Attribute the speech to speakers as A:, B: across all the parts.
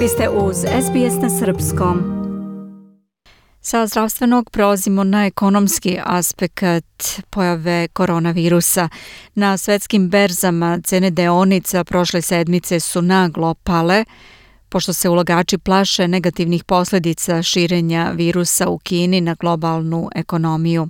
A: Vi ste uz SBS na srpskom. Sa zdravstvenog prelazimo na ekonomski aspekt pojave koronavirusa. Na svetskim berzama cene deonica prošle sedmice su naglo pale, pošto se ulagači plaše negativnih posljedica širenja virusa u Kini na globalnu ekonomiju.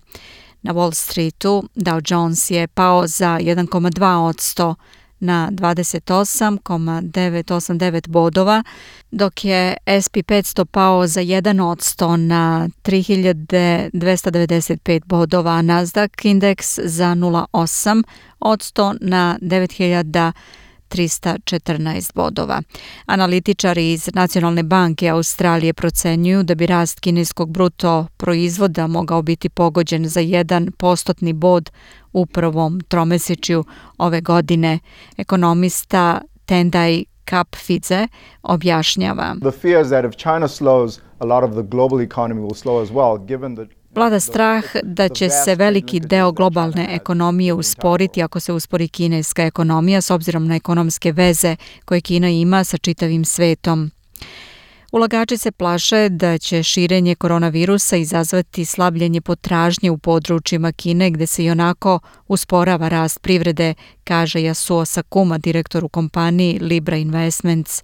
A: Na Wall Streetu Dow Jones je pao za 1,2% na 28,989 bodova, dok je S&P 500 pao za 1% na 3295 bodova, a Nasdaq indeks za 0,8% na 9314 bodova. Analitičari iz Nacionalne banke Australije procenjuju da bi rast kineskog bruto proizvoda mogao biti pogođen za 1% bod u prvom tromesečju ove godine. Ekonomista Tendai Kapfidze objašnjava.
B: The fears that if China slows, a lot of the global economy will slow as well, given the
A: Vlada strah da će se veliki deo globalne ekonomije usporiti ako se uspori kineska ekonomija s obzirom na ekonomske veze koje Kina ima sa čitavim svetom. Ulagači se plaše da će širenje koronavirusa izazvati slabljenje potražnje u područjima Kine gdje se ionako usporava rast privrede, kaže Yasuo Sakuma, direktor u kompaniji Libra Investments.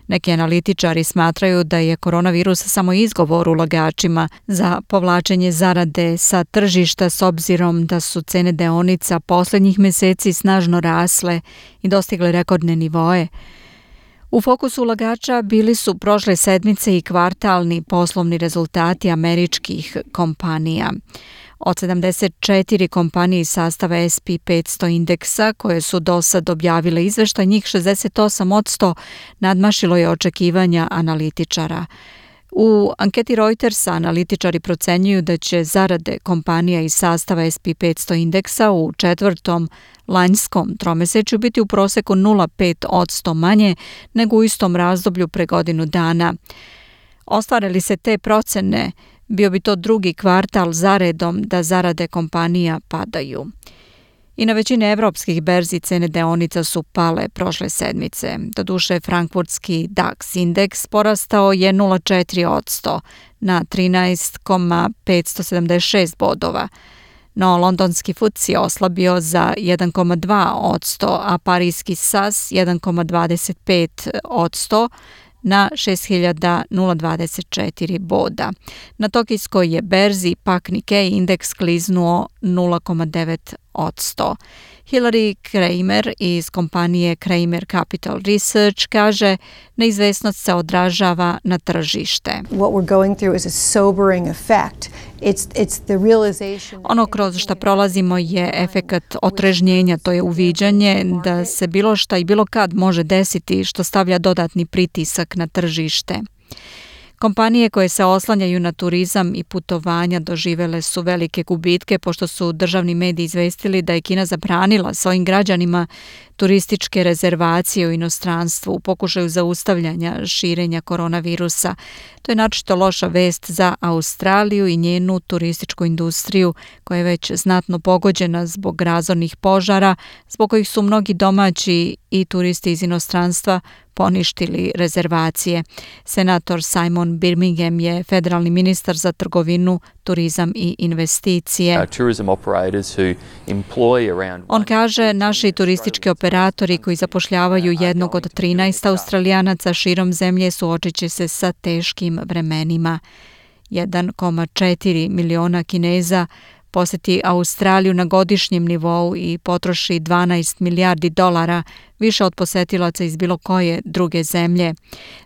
A: Neki analitičari smatraju da je koronavirus samo izgovor ulagačima za povlačenje zarade sa tržišta s obzirom da su cene deonica posljednjih mjeseci snažno rasle i dostigle rekordne nivoe. U fokusu ulagača bili su prošle sedmice i kvartalni poslovni rezultati američkih kompanija. Od 74 kompanije iz sastava S&P 500 indeksa koje su do sad objavile izveštaj, njih 68% nadmašilo je očekivanja analitičara. U anketi Reutersa analitičari procenjuju da će zarade kompanija iz sastava S&P 500 indeksa u četvrtom lanjskom tromesečju biti u proseku 0,5% manje nego u istom razdoblju pre godinu dana. Ostvare li se te procene, bio bi to drugi kvartal zaredom da zarade kompanija padaju. I na većini evropskih berzi cene deonica su pale prošle sedmice. Doduše, frankfurtski DAX indeks porastao je 0,4% na 13,576 bodova, no londonski FTSE oslabio za 1,2%, a parijski SAS 1,25% na 6024 boda. Na tokijskoj je berzi pak Nikkei indeks kliznuo 0,9%. Hilary Kramer iz kompanije Kramer Capital Research kaže neizvesnost se odražava na tržište.
C: What we're going through is a sobering effect. It's the realization.
A: Ono kroz što prolazimo je efekat otrežnjenja, to je uviđanje da se bilo šta i bilo kad može desiti što stavlja dodatni pritisak na tržište. Kompanije koje se oslanjaju na turizam i putovanja doživele su velike gubitke pošto su državni mediji izvestili da je Kina zabranila svojim građanima turističke rezervacije u inostranstvu u pokušaju zaustavljanja širenja koronavirusa. To je naročito loša vest za Australiju i njenu turističku industriju koja je već znatno pogođena zbog razornih požara, zbog kojih su mnogi domaći i turisti iz inostranstva poništili rezervacije. Senator Simon Birmingham je federalni ministar za trgovinu, turizam i investicije. On kaže, naši turistički operatori koji zapošljavaju jednog od 13 Australijanaca širom zemlje suočit će se sa teškim vremenima. 1,4 miliona Kineza posjeti Australiju na godišnjem nivou i potroši 12 milijardi dolara, više od posjetilaca iz bilo koje druge zemlje.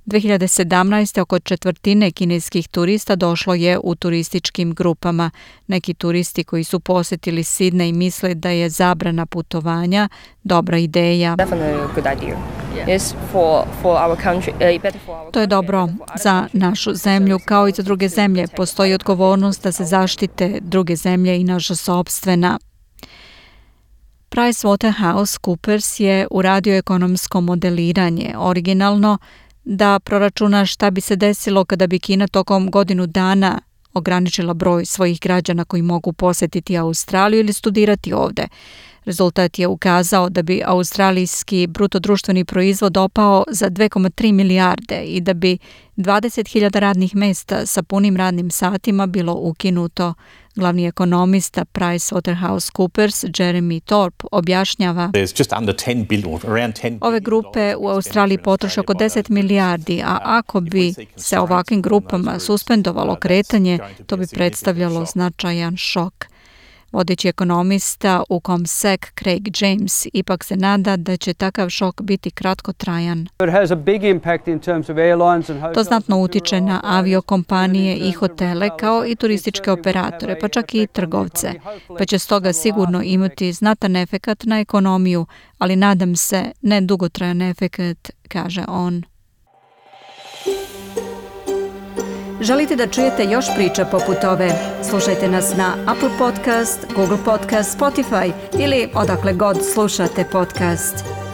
A: 2017. oko četvrtine kineskih turista došlo je u turističkim grupama. Neki turisti koji su posjetili Sidney misle da je zabrana putovanja dobra ideja. To je dobro za našu zemlju kao i za druge zemlje. Postoji odgovornost da se zaštite druge zemlje i naša sopstvena. PricewaterhouseCoopers je uradio ekonomsko modeliranje originalno da proračuna šta bi se desilo kada bi Kina tokom godinu dana ograničila broj svojih građana koji mogu posjetiti Australiju ili studirati ovde. Rezultat je ukazao da bi australijski brutodruštveni proizvod opao za 2,3 milijarde i da bi 20.000 radnih mesta sa punim radnim satima bilo ukinuto. Glavni ekonomista PricewaterhouseCoopers Jeremy Thorpe objašnjava: ove grupe u Australiji potroše oko 10 milijardi, a ako bi se ovakvim grupama suspendovalo kretanje, to bi predstavljalo značajan šok. Vodeći ekonomista u CommSec Craig James ipak se nada da će takav šok biti kratkotrajan. To znatno utiče na aviokompanije i hotele kao i turističke operatore, pa čak i trgovce, pa će stoga sigurno imati znatan efekat na ekonomiju, ali nadam se ne dugotrajan efekat, kaže on. Želite da čujete još priča poput ove? Slušajte nas na Apple Podcast, Google Podcast, Spotify ili odakle god slušate podcast.